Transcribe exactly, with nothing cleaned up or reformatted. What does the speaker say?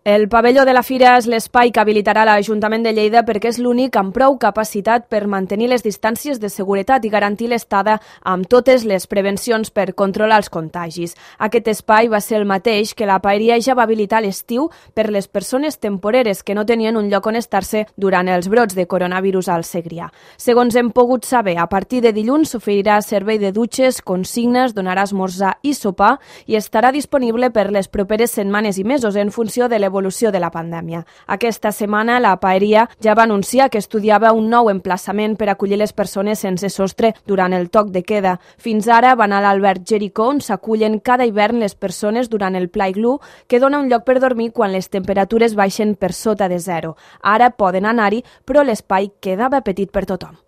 El pavelló de la Fira és l'espai que habilitarà l'Ajuntament de Lleida perquè és l'únic amb prou capacitat per mantenir les distàncies de seguretat i garantir l'estada amb totes les prevencions per controlar els contagis. Aquest espai va ser el mateix que la paeria ja va habilitar a l'estiu per les persones temporeres que no tenien un lloc on estar-se durant els brots de coronavirus al Segrià. Segons hem pogut saber, a partir de dilluns s'oferirà servei de dutxes, consignes, donarà esmorzar i sopar i estarà disponible per les properes setmanes i mesos en funció de l'evolució evolució de la pandèmia. Aquesta setmana la paeria ja va anunciar que estudiava un nou emplaçament per acollir les persones sense sostre durant el toc de queda. Fins ara van a l'Albert Jericó, on s'acullen cada hivern les persones durant el Pla Iglú, que dona un lloc per dormir quan les temperatures baixen per sota de zero. Ara poden anar-hi, però l'espai quedava petit per tothom.